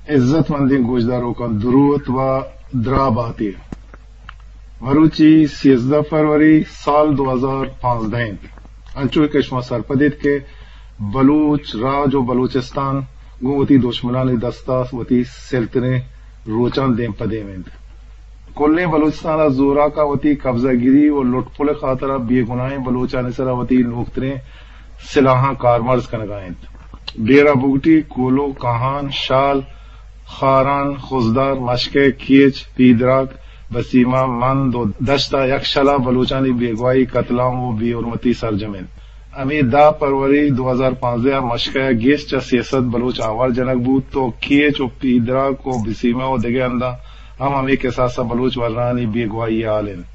عزت مندیں گوشداروکاں دروت و دراہ بات ئے۔ مروچی سیزدہ فروری سال دو ہزار پانزدہ انت۔ انچو کہ شما سرپد ایت کہ بلوچ راج و بلوچستان گوں وتی دشمنانی دستا وتی سلتریں روچاں دیم پہ دیم انت۔ کلیں بلوچستان ء زوراک ء وتی قبضہ گیری و لٹ پل ء خاطر ء بے گناہیں بلوچانی سر ء وتی نوکتریں سلاہاں کارمرز کنگ ء انت۔ ڈیرہ بگٹی، کولو، کاہان، شال، خاران، خضدار، مشکے، کیچ، پیدراک، بسیمہ، مند و دشت ء یکشل ء بلوچانی بیگواہی، قتل عام و بے حرمتی سرجم انت۔ ہمے دہ فروری دو ہزار پانزدہ ء مشکے ء گیش چہ سے سد بلوچ آوار جنگ بوت و کیچ و پیدراک و بسیمہ و دگہ ہنداں ہم ہمے کساس ء بلوچ ورنانی بیگواہی ء حال انت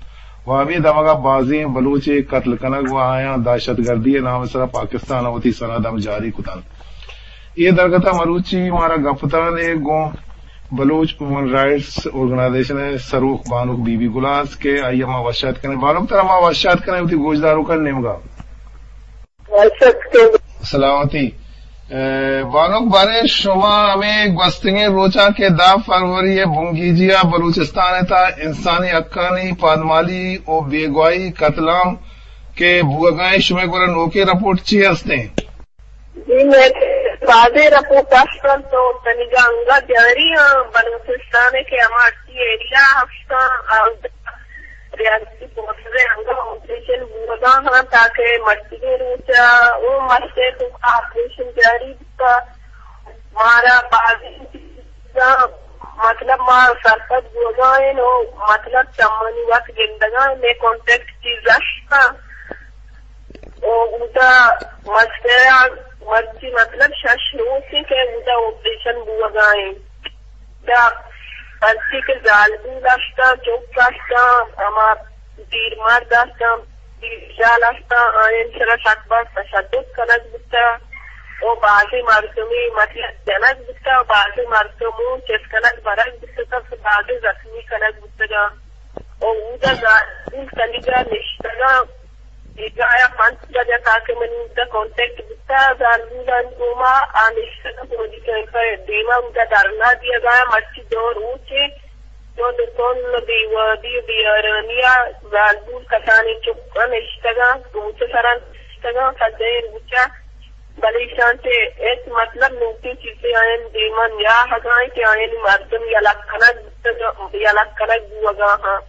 و ہمے دمگ ء بازیں بلوچے قتل کنگ و آیاں دہشت گردی ء نام ء سرا پاکستان ء وتی سند ہم جاری کتنت۔ اے درگت ء مروچی مارا گپ تران ء گوں بلوچ ہیومن رائٹس آرگنائزیشن ء سروک بانک بی بی گلاز کہ آئی ء ما وش آتک کنیں۔ بانک ترا ما وش آتک کنیں وتی گوشداروکانی نیمگ ء۔ سلامتی۔ اے، بانک بارے شما ہمے گوستگیں روچاں کہ دہ فروری ء بنگیجی ء بلوچستان ء تھا انسانی حقانی پادمالی و بیگواہی قتل عام کہ بوگائیں شمئے گورا نوکیں رپورٹ چی ہستیں؟ جی، میں بازیں رپورٹ است انت و تنیگا انگا جاری ہاں بلوچستان ء کہ ہما ٹی ایریا ہستاں، آ، ریاستی فورسز ء انگا آپریشن بوگا ہاں تاکہ مرچیگیں روچ ء او مرچ ء توکا آپریشن جاری بوتا۔ مارا بازیں چیزاں مطلب ما سرپد بوگا ایں و مطلب چمانی وقت گندگا ایں، میں کانٹیکٹ چیز است۔ او اودا مسترا مرچی مطلب شش روچ ایں کہ اودا آپریشن بوگا ایں۔ دا ہرچی کہ زالبول ہستاں، چک ہستاں، ہما پیر مرد ہستاں، پیر جال ہستاں، آیان سرا سک باز تشدد کنگ بوتا و بازیں مردمے مطلب جنگ بوتا و بازیں مردم چست کنگ برگ بوتا، بازیں زخمی کنگ بوتگاں۔ و اودا زالبول تنیگا نشتگاں، بیگاہ ء پنچ بجہ تاکہ منی اودا کانٹیکٹ بوتا زالبولانی گوما، آ نشتگاں فوجی کیمپ ء دیما اودا دھرنا دیگا، مرچی دو روچے، دو دکان بے وادی و بے آرامی ء زالبول کسانیں چکاں نشتگاں، روچ سرا نشتگاں، سجہیں روچا بلے ایشاں چہ ہچ مطلب نوکیں چیزے آیانی دیما نیاہگا انت کہ آیانی مردم یلہ کنگ بوتگ، یلہ کنگ بوگا ہاں۔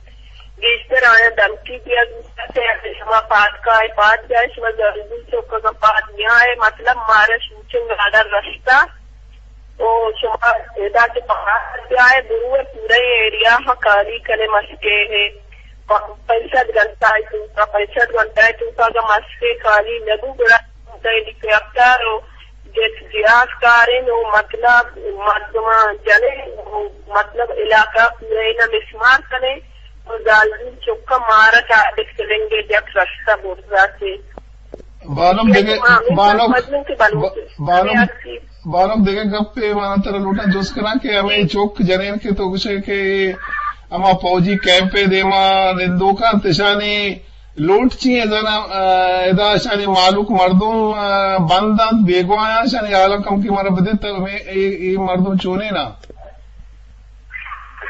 گیشتر آیاں دھمکی دیگ بوتگ کہ شما پاد کائے، پاد بیائے، شما زالبول چوک اگاں پاد نیائے، مطلب مارا شوٹنگ آرڈر رستا و شما ادا کہ پاد بیائے، برو پورا ایریا ہاں کالی کنے مسکے ہے۔ پ-، پنچ سد گھنٹہ ء توکا، پنچ سد گھنٹہ ء توکا اگاں مسکے کالی نہ بو، گڑا ہیلی کاپٹر و جیٹ جہاز کاریں و مطلب مردماں جنیں و مطلب علاقہ پورا اینا مسمار کنیں و زالبول چکا مارا ٹارگٹ کننگے جک رستہ برزا سے۔ بانک دگہ، بانک، بانک، بانک دگہ گپے من ترا لوٹاں جست کناں کہ ہمے چک جنین کہ تو گوشے کہ ہما فوجی کیمپ ء دیما نندوک انت، اشانی لوٹ چی ایں؟ زانا، آ، ادا اشانی مالوک مردم، آ، بند انت، بیگواہ انت، اشانی حالاں کمکے مارا بدیت، ہمے، اے، اے مردم چونیں نا؟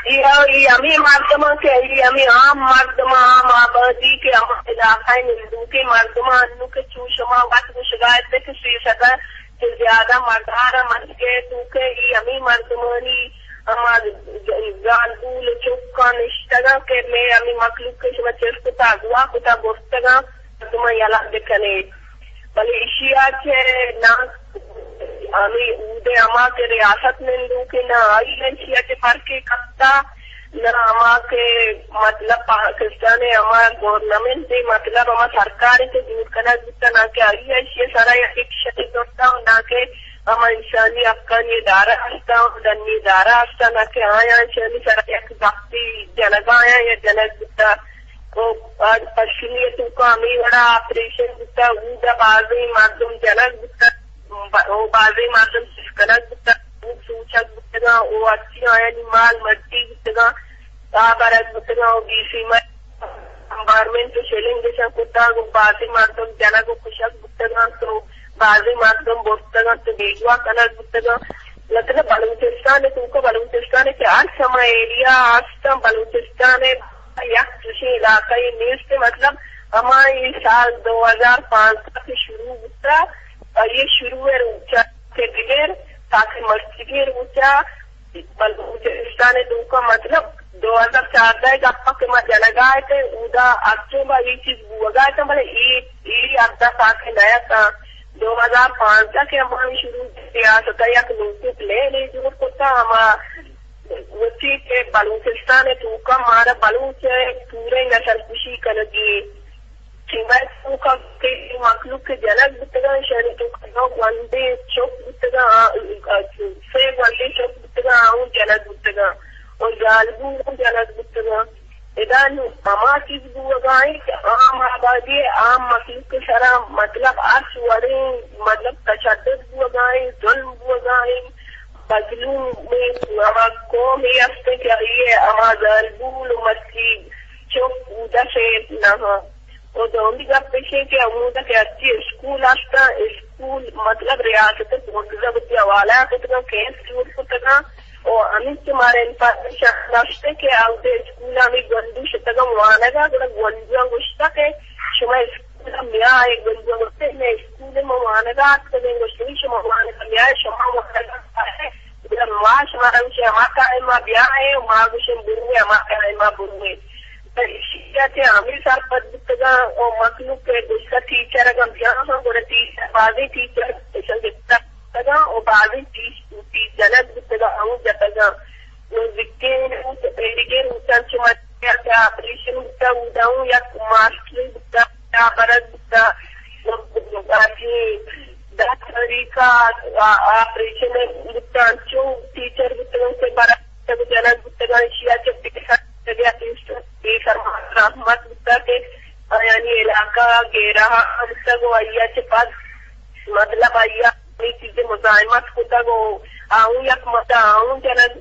جی ہاں، اے ہمے مردماں کہ اے ہمے عام مردماں، عام آبادی کہ ہما علاقہ ء نندوکیں مردماں، انو کہ چو شما وت گوشگا ات کہ سے سد ء چہ زیادہ مردار ء مسکے تو کہ اے ہمے مردمانی ہما زالبول و چکاں نشتگاں کہ مئے ہمے مخلوق کہ شما چست کتا، اغوا کتا، برتگاں، مردماں یلہ بکنے۔ بلے ایشی ء چہ نہ ہمے اود ء ہما کہ ریاست نندوکیں نہ آئی ء ایشی ء چہ فرقے کپتا، نہ ہما کہ مطلب پاکستان ء ہما گورنمنٹ ء مطلب ہما سرکار ء کہ جوڑ کنگ بوتا، نہ کہ آئی ء ایشی ء سرا یک ایکشنے زرتا، نہ کہ ہما انسانی حقانی ادارہ ہستا، ڈنی ادارہ ہستا، نہ کہ آیاں ایشانی سرا یک زخمی جنگا آیاں یا جنگ بوتا۔ و پشکنی ء توکا ہمے وڑا آپریشن بوتا، اودا بازیں مردم جنگ بوتا، ب-، و بازیں مردم چست کنگ بوتا، سوچگ بوتگاں، و ہرچی آیانی مال مڈی بوتگاں، آ برگ بوتگاں، و بی سی مئی بمبارمنٹ و شیلنگ اشاں کتگ، و بازیں مردم جنگ و کشگ بوتگاں، تو بازیں مردم برتگاں، تو بیگواہ کنگ بوتگاں۔ مطلب بلوچستان ءِ توکا، بلوچستان ءِ کہ ہر سما ایریا ہستاں، بلوچستان ءِ یک چشیں علاقہ یے نیست، مطلب ہما اے سال دو ہزار پانزدہ کہ شروع بوتا، آئی ءِ شروع ءِ روچا کہ بگر تاکہ مرچیگیں روچا بلوچستان ءِ توکا، مطلب دو ہزار چاردہ ءِ گپا کہ ما جنگا اتیں، اودا ہرچوں با اے چیز بوگا اتاں، بلے اے، اے حد ءَ تاکہ نہ اتاں۔ دو ہزار پانزدہ کہ ہمائی شروع ریاست ءَ یک نوکیں پلان ءَ جوڑ کتا، ہما وتی کہ بلوچستان ءِ توکا مارا بلوچ ءِ پوریں نسل کشی کنگی، سیما ءِ توکا کہ مخلوق کہ جنگ بوتگاں، ایشانی توکا دو گونڈیں چک بوتگاں، آ، آ، سے گونڈیں چک بوتگاں، آ اوں جنگ بوتگاں، و زالبول اوں جنگ بوتگاں۔ ادا نوں ہما چیز بوگا ایں کہ عام آبادی ءِ عام مخلوق ءِ سرا مطلب ہرچ وڑیں مطلب تشدد بوگا ایں، ظلم بوگا ایں، مظلوم ہما قوم اے است کہ آئی ءِ ہما زالبول و مرچی چک اودا شیر نہ ہاں۔ و دومی گپ ایش کہ ہمودا کہ ہرچی اسکول ہستاں، اسکول مطلب ریاست ءِ پونزدہ وتی حوالہ کتگاں، کیس جوڑ کتگاں، و ہمینچو مارا انفارمیشن ہست کہ اودا اسکول ہمے گونڈو شتگاں وانگا، گڑا گونڈواں گوشتا کہ شما اسکول ءَ میا اے، گونڈواں گوشتے، مئے اسکول ءَ ما وانگا آتکگیں، گوشت، شما وانگا میا اے، شما وانگا کائے، گڑا ما شمارا گوشیں ہما ٹائم ءَ بیا اے، ما گوشیں بروے، ہما ٹائم ءَ بروے۔ ایشی ءَ چہ ہمے سرپد بوتگاں و مخلوق ءَ گوشتہ ٹیچر اگاں بیاہاں، گڑا ٹیچر، بازیں ٹیچر ایشاں گپتگاں و بازیں ٹیچ-، ٹیچر جنگ بوتگاں، ہمو جتگاں۔ نزیکیں روچ، ایریگیں روچاں چہ مرچی کہ آپریشن بوتہ، اودا اوں یک ماسٹرے بوتہ، برگ بوتہ، آ، دہ تاریخ ءَ آ-، آپریشن بوتہ، انچو ٹیچر بوتگاں کہ برگ بوتگ، جنگ بوتگاں، ایشی ءَ چہ پیسر بوتگ ءَ پیسر، پیسر مات رحمت بوتگ کہ آیانی علاقہ گیرہ ہم بوتگ و آئی ءَ چہ پد مطلب آئی ءَ ہمے چیز ءِ مزاحمت کتگ و آ اوں یک مدت آ اوں جنگ،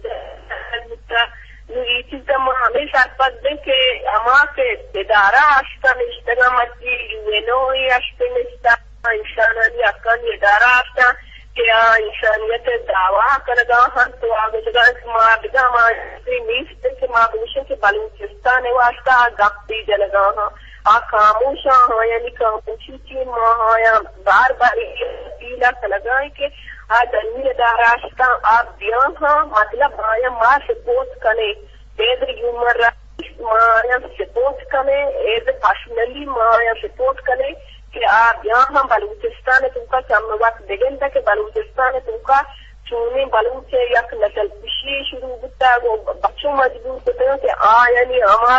جنگ بوتگ۔ نوں اے چیز ءَ ما ہمے سرپد ایں کہ ہما کہ ادارہ ہستاں نشتگاں، مرچی یو این او اے ہستیں نشتہ، انسانانی حقانی ادارہ ہستاں کہ آ انسانیت ءِ دعویٰ کنگا ہنت و آ گوشگا انت کہ ما دگہ ہما چیزے نیست کہ ما بگوشیں کہ بلوچستان ءِ واسطہ آ گپے جنگا ہاں۔ آ خاموش آں، آیانی خاموشی چی؟ ما آیاں بار بار اے اپیل ءَ کنگا ایں کہ آ دنی ادارہ ہستاں، آ بیاہاں، مطلب آیاں ما سپورٹ کنیں، ایز اے ہیومن رائٹس ما آیاں سپورٹ کنیں، ایز اے پرسنلی ما آیاں سپورٹ کنیں کہ آ بیاہاں بلوچستان ءِ توکا چم وت بگنداں کہ بلوچستان ءِ توکا چونیں بلوچ ءِ یک نسل کشی شروع بوتگ و بچوں مجبور کتگ کہ آیانی ہما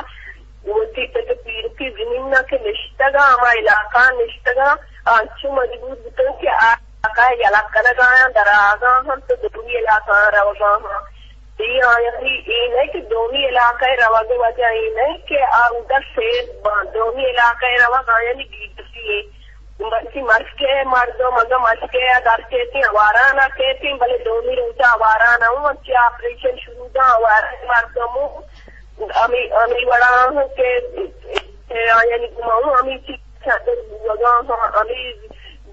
وتی پت ءُ پیرکی زمین ءَ کہ نشتگاں، ہما علاقہ ءَ نشتگاں، آ انچو مجبور بوتگ کہ آ علاقہ ءَ یلہ کنگ ءَ آیاں، در آہگا ہم تو دومی علاقہ ءَ روگا ہاں۔ اے آیانی اے نہ کہ دومی علاقہ ءَ روگ ءِ وجہ اے نہ کہ آ اودا سیف باں، دومی علاقہ ءَ روگ آیانی بے بسی اے۔ مرچی مشکے مردم اگاں مشکے ءَ در کیتیں، آواران ءَ کیتیں، بلے دومی روچ ءَ آواران ءَ اوں انچیں آپریشن شروع داں، آواران مردم اوں ہمے، ہمے وڑا ہوں کہ، کہ آیانی گما ہوں ہمے چیز چادر بوگا ہاں، ہمے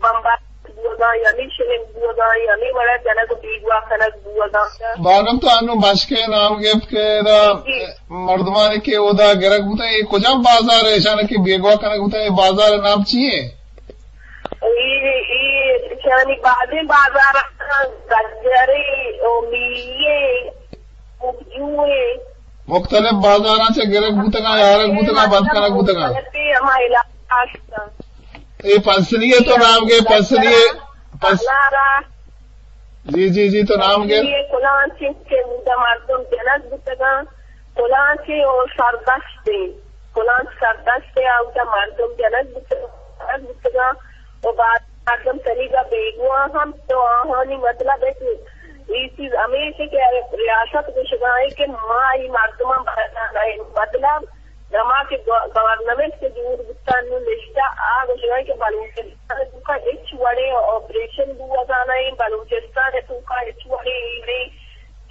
بمبار بوگا، ہمے شلنگ بوگا، ہمے وڑا جنگ بیگواہ کنگ بوگا۔ بانم تو انو مشکے نام گپت کہ ادا جی۔ مردمانی کہ اودا گرگ بوتاں، اے کجام بازار اے؟ ایشاں کہ بیگواہ کنگ بوتاں، اے بازار ءِ نام چی اے؟ اے، اے ایشانی بازیں بازار ہستاں، گجرے، او میے، اپجوے۔ مختلف بازاراں چہ گرگ بوتگاں، یارگ بوتگاں، بند کنگ بوتگاں۔ مختلف ہما علاقہ ہستاں۔ اے پسنی ءِ تو نام گے، پسنی ءِ، پس-، سالارا۔ جی، جی، جی، تو نام گے۔ اے کلانچیں کہ اودا مردم جنگ بوتگاں، کلانچیں او سردشتیں، کلانچ سردشتیں، اودا مردم جنگ بوتگاں، جنگ بوتگاں، و بعد مردم تنیگا بیگواہ ہم، تو آہانی مطلب ہے کہ اے چیز ہمیش کہ ریاست گوشگا ہے کہ ما اے مردمان بردان ہے، مطلب ہما کہ گو-، گورنمنٹ کہ جوڑ بوتگ نوں نشتہ، آ گوشگ ءَ کہ بلوچستان ءِ توکا ہچ وڑیں آپریشن بوگا نہ ایں، بلوچستان ءِ توکا ہچ وڑیں اے وڑیں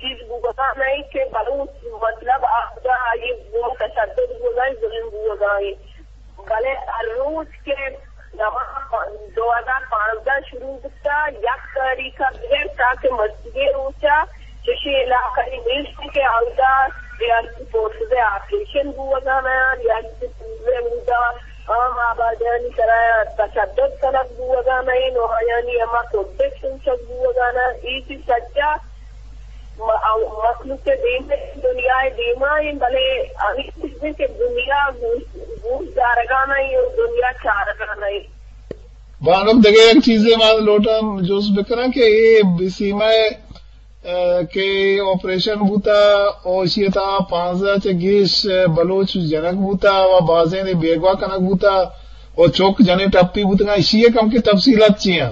چیز بوگا نہ ایں کہ بلوچ مطلب آودا آئی گوما تشدد بوگا ایں، ظلم بوگا ایں۔ بلے ہر روچ کہ دو ہزار پانزدہ شروع بوتا، یک تاریخ ءَ بگر تاکہ مرچیگیں روچ ءَ چشیں علاقہ ای نیست کہ اودا ریاستی فورسز ءِ آپریشن بوگا نہ، ریاستی پولیس ءِ اودا عام آبادیانی سرا تشدد کنگ بوگا نہ، نو آیانی ہما پروٹیکشن شک بوگا نہ، ای چیز سجا م-، مخلوق ءِ دیم ءَ، دنیا ءِ دیما ایں، بلے ہمے چیزیں کہ دنیا گوش، گوش دارگا نہ ایں، دنیا چارگا نہ ایں۔ بانک، دگہ یک چیزے ما لوٹاں جست بکناں کہ اے بیسیما ءَ، ءَ، کہ آپریشن بوتا، او اشی ءِ تہا پانزدہ چہ گیش بلوچ جنگ بوتا و بازیں بیگواہ کنگ بوتا و چک جنین ٹپی بوتگاں، اشی ءِ کم کہ تفصیلات چی ایں؟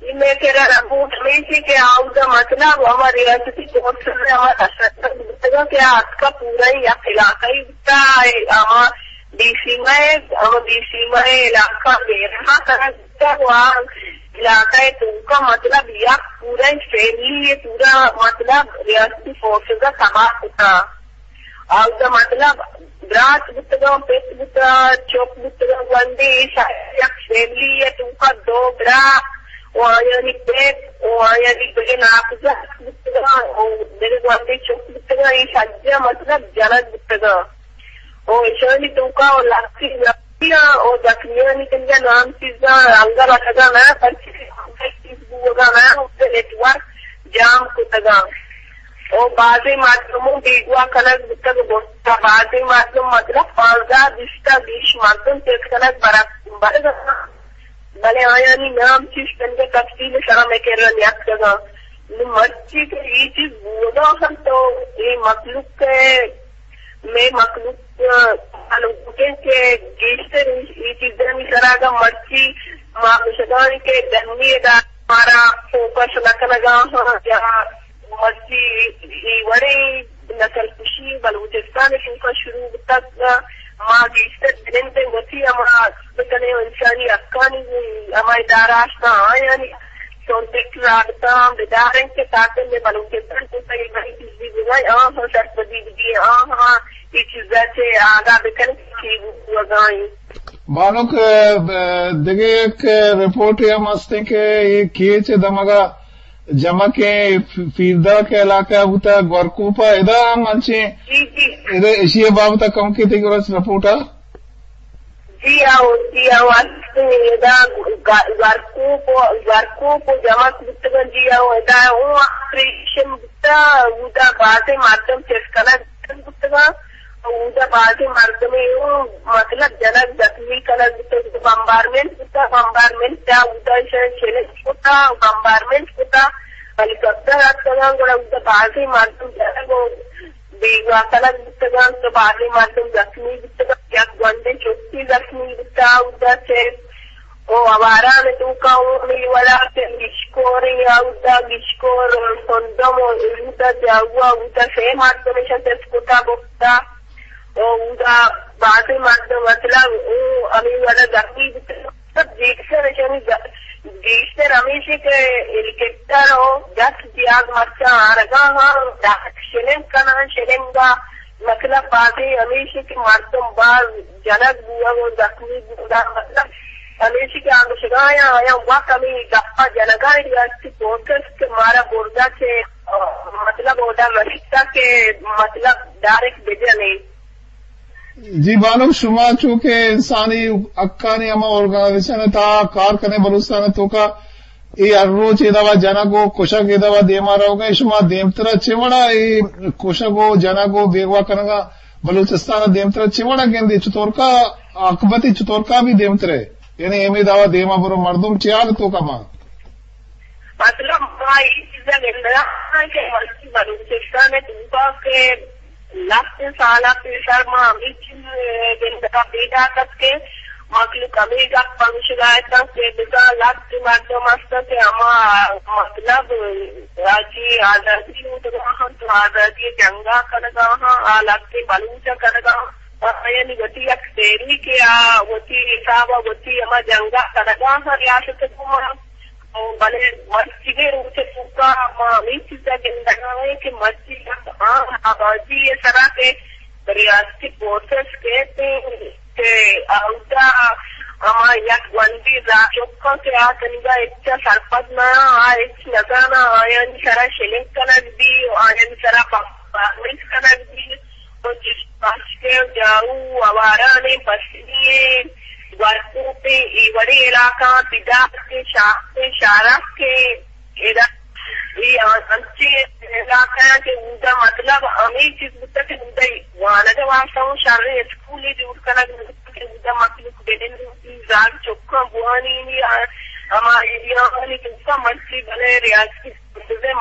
اے مئے کرا رپورٹ ہمیش ایں کہ آودا مطلب ہما ریاستی فورسز ءِ ہما تشدد بوتگا کہ آ اتکا پورا یک علاقہ ای بوتا، ہما بیسیما ءِ، ہما بیسیما ءِ علاقہ بیرہا کنگ بوتا و آ علاقہ ءِ توکا مطلب یک پورا فیملی ءِ پورا مطلب ریاستی فورسز ءَ تباہ کتا۔ اودا مطلب برات بوتگاں، پت بوتگاں، چک بوتگاں، گونڈے، ایشاں یک فیملی ءِ توکا دو برا و آیانی پت و آیانی دگہ ناکوزتک بوتگاں و دگہ گونڈے چک بوتگاں، ایش سجہ مطلب جنگ بوتگاں و ایشانی توکا و لہتیں زخمیاں و زخمیانی کنگا نام چیزاں انگا رسگا نہ، پرچہ کہ چیز بوگا نہ، اودا نیٹ ورک جام کتگاں۔ او بازیں مردم بیگواہ کنگ بوتگ، بوتگ۔ بازیں مردم مطلب پانزدہ بیست ءَ گیش مردم چست کنگ برگ، برگ ءَ، بلے آیانی نام چیز تنگہ تفصیل سرا مئے کرا نیاتکگاں۔ نوں مرچی کہ اے چیز بوگا ہم تو اے مخلوق ءِ، مئے مخلوق ءَ لوٹیں کہ گیشتر اے چیزانی سرا اگاں مرچی ما گوشگاں کہ ڈنی ادارہ مارا فوکس نہ کنگا ہاں یا مرچی اے وڑیں نسل کشی بلوچستان ءِ توکا شروع بوتگ، ما گیشتر جنندیں وتی ہما بکنیں انسانی حقانی ہما ادارہ ہستاں آیانی کانٹیکٹ رابطہ ہم بداریں کہ تاکہ مئے بلوچستان توکا اے وڑیں چیزی بزاں آہاں سرپدی بدی، آہاں اے چیزا چہ آگاہ بکنیں کہ چی بوگا ایں۔ بانک، ءَ، دگہ یک رپورٹے ہم ہستیں کہ اے کیچ ءِ دمگا جمکیں ف-، فیرداک ءِ علاقہ بوتا، گورکوپ ءَ ادا ہم انچیں، جی، جی۔ ادا اشی ءِ بابت ءَ کمکے تئی گورا رپورٹ ءَ؟ جی آؤ، جی آؤ، ہستیں ادا گ-، گورکوپ، گورکوپ ءَ جمک بوتگاں، جی آؤ، ادا اوں آپریشن بوتا، اودا بازیں مردم چست کنگ بوتگاں۔ اودا بازیں مردمے اوں مطلب جنگ زخمی کنگ بوتگ، بمبارمنٹ بوتا، بمبارمنٹ ءَ اودا ایشاں چیلنج کتا، بمبارمنٹ کتا، ہیلی کاپٹر اتکگاں، گڑا اودا بازیں مردم جنگ و بیگواہ کنگ بوتگاں، تو بازیں مردم زخمی بوتگاں، یک گونڈیں چکے زخمی بوتا اودا چہ او آواران ءِ توکا اوں ہمے وڑا کہ گیشکور ایں، اودا گیشکور سندم و اودا جاوا، اودا سے مردم ایشاں چست کتا برتا۔ او اودا بازیں مردم مطلب او ہمے وڑا زخمی بوتگ۔ مطلب گیشتر ایشانی ز-، گیشتر ہمیش کہ ہیلی کاپٹر و جیٹ زیات مرچاں آرگا ہاں، ڈائریکٹ شیلنگ کناں، شیلنگ ءَ مطلب بازیں ہمیش کہ مردم باز جنگ بوگ و زخمی بوگ، مطلب ہمیش کہ آ گوشگا آیاں، آیاں وت ہمے گپا جنگا ریاستی فورسز کہ مارا بردا چہ، مطلب اودا رسیتا کہ مطلب ڈائریکٹ بجنے۔ جی بانک، شما چونکہ انسانی حقانی ہما آرگنائزیشن ءِ تہا کار کنے بلوچستان ءِ توکا، اے ہر روچ اے دوا جنگ و کشگ اے دوا دیما روگ ءَ، شما دیمترا چے وڑا اے کشگ و جنگ و بیگواہ کنگا بلوچستان ءَ دیمترا چے وڑا گندے؟ چطورکا عاقبت چطورکا بھی دیمترے؟ یعنی ہمے دوا دیما برو مردم چے حال توکا باں؟ مطلب ما اے چیزا گندگا کہ مرچی بلوچستان ءِ توکا کہ لہتیں سالاں پیسر ما ہمے چیز گندگا پیداک ات کہ مخلوق ہمے گپ ءَ گوشگا اتاں کہ بزاں لہتیں مردم ہستاں کہ ہما مطلب راجی آزادی لوٹگا ہاں تو آزادی جنگا کنگا ہاں، آ لہتیں بلوچ ءَ کنگا ہاں، آیانی وتی یک تحریکے، آ وتی حساب ءَ وتی ہما جنگا کنگا ہاں ریاست ءِ گوما۔ او بلے مرچیگیں روچ ءِ توکا ما ہمے چیزا گندگا ایں کہ مرچی یک عام آبادی ءِ سرا کہ ریاستی فورسز کیت کہ اودا ہما یک گونڈیں زاہ چکاں کہ آ تنیگا ہچ ءَ سرپد نہ آں، آ ہچ نہ زاناں، آیانی سرا شلنگ کنگ بی و آیانی سرا پرفارمنس کنگ بی و چشپاشکیں جارو، آوارانیں پسنی، گورکوپیں، اے وڑیں علاقہ، پدارکیں، شاختیں، شارکیں، ادا اے انچیں علاقہ آں کہ اودا مطلب ہمے چیز بوتگ کہ اودا وانگ ءِ واستہ اوں شریں اسکولے جوڑ کنگ بوتگ کہ اودا مخلوق بنندی، زاگ چکاں بوانینی، ہما ایریاانی توکا مرچی بلے ریاستی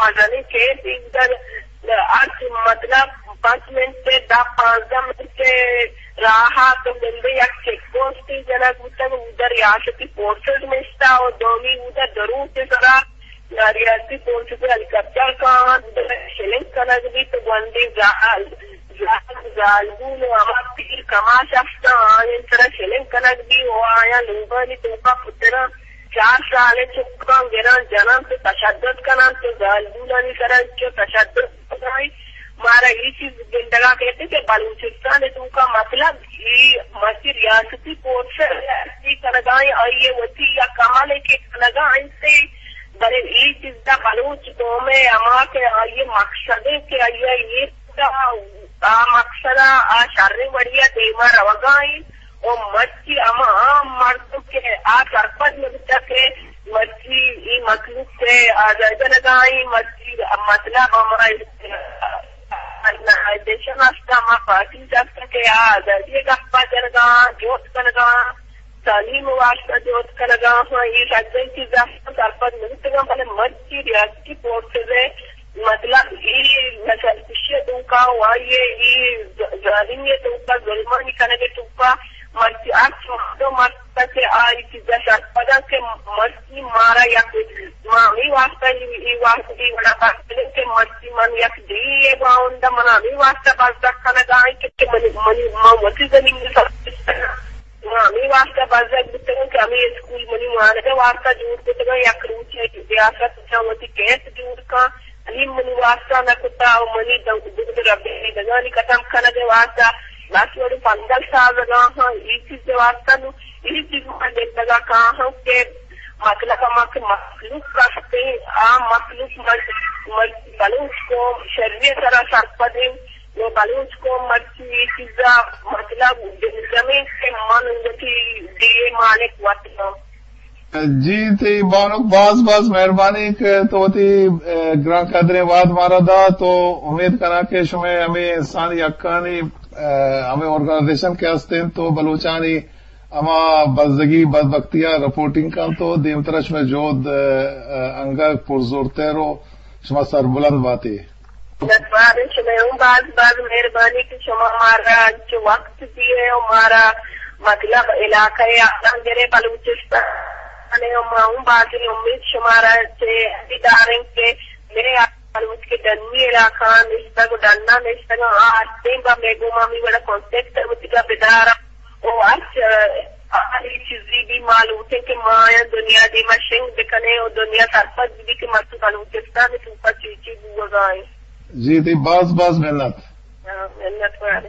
مزنیں کیمپ اودا ہر مطلب پنچ منٹ ءَ، دہ پانزدہ منٹ ءِ راہ ءَ تو گندے یک چیک پوسٹے جنگ بوتگ، اودا ریاستی فورسز نشتہ و دومی اودا دروت ءِ سرا ریاستی فورسز ءِ ہیلی کاپٹر کاینت، شلنگ کنگ بیت، گونڈیں زال، زال، زالبول و ہما پیر کماش استاں، آیان سرا شلنگ کنگ بی و آیان لوگانی توکا پتراں، چار سالیں چکاں گراں جننت و تشدد کننت و زالبولانی سرا چو تشدد کنائیں۔ مارا اے چیز گندگا کیت کہ بلوچستان ءِ توکا مطلب اے مرچی ریاستی فورس ءِ کنگا ایں، آئی ءِ وتی یک عملے کہ کنگا انت، بلے اے چیزا بلوچ قوم ءِ ہما کہ آئی ءِ مقصد انت کہ آئی ءَ اے آ مقصد ءَ آ شریں وڑی ءَ دیما روگا انت و مرچی ہما عام مردم کہ آ سرپد نہ بوتگ کہ مرچی اے مخلوق ءِ آزاد کنگا انت، مرچی مطلب ہما آرگنائزیشن است، ہما پارٹیز است کہ آ آزادی ءِ گپا جنگا، جہد کنگا، تعلیم ءِ واستہ جہد کنگا، ہاں، اے سجہیں چیزاں سرپد نہ بوتگاں، بلے مرچی ریاستی فورسز ءِ مطلب اے نسل کشی ءِ توکا و آئی ءِ اے ظالمی ءِ توکا، ظلمانی کنگ ءِ توکا مرچی ہرچ مردم است کہ آ اے چیزا سرپد انت کہ مرچی مارا یک، ما ہمے واستہ اے، اے واستہ اے وڑا بحث کنیں کہ مرچی من یک ڈی اے باوندا، من ہمے واستہ بزگ کنگا ایں کہ منی، منی، ما وتی زمین ءِ سر، ما ہمے واستہ بزگ بوتگاں کہ ہمے اسکول منی وانگ ءِ واستہ جوڑ کتگاں، یک روچے ریاست ءَ وتی کیمپ جوڑ کن، علی منی واستہ نہ کتا و منی دو، دو ربیدگانی ختم کنگ ءِ واستہ لس وڑیں پندل سازگا ہاں، اے چیز ءِ واستہ نوں اے چیز ما گندگا کاہاں کہ مطلب ہما کہ مخلوق کستیں، آ مخلوق مر-، مر-، بلوچ قوم شری ءِ سرا سرپدیں، و بلوچ قوم مرچی اے چیزا مطلب دلجمیں کہ من وتی ڈی اے مالک وت باں۔ جی، تئی بانک باز باز مہربانی کہ تو وتی، اے، گران قدریں وہد مارا دات و امید کناں کہ شمئے ہمے انسانی حقانی، اے، ہمے آرگنائزیشن کہ ہستیں تو بلوچانی ہما بزگی بدبختی ءَ رپورٹنگ کنت و دیمترا شمئے جہد، اے، اے، انگت پرزورتر و شما سربلند باتے۔ منتوار شمئے ہوں باز باز مہربانی کہ شما مارا انچو وقت دیئے و مارا مطلب علاقہ ءِ آدم گرے بلوچستان ءَ، و ما ہوں بازیں امید شمارا چہ داریں کہ مئے بلوچ کہ ڈنی علاقہ نشتگ و ڈنا نشتگ آ ہستیں با مئے گوما ہمے وڑا کانٹیکٹ وتیگا بدارا و ہرچ آ چیزی بھی ما لوٹیں کہ ما آیاں دنیا دیما شنگ بکنیں و دنیا سرپد بھی کہ مرچی بلوچستان توکا چی چی بوگا ایں۔ جی، تئی باز باز منت۔ ہاں، منت وار۔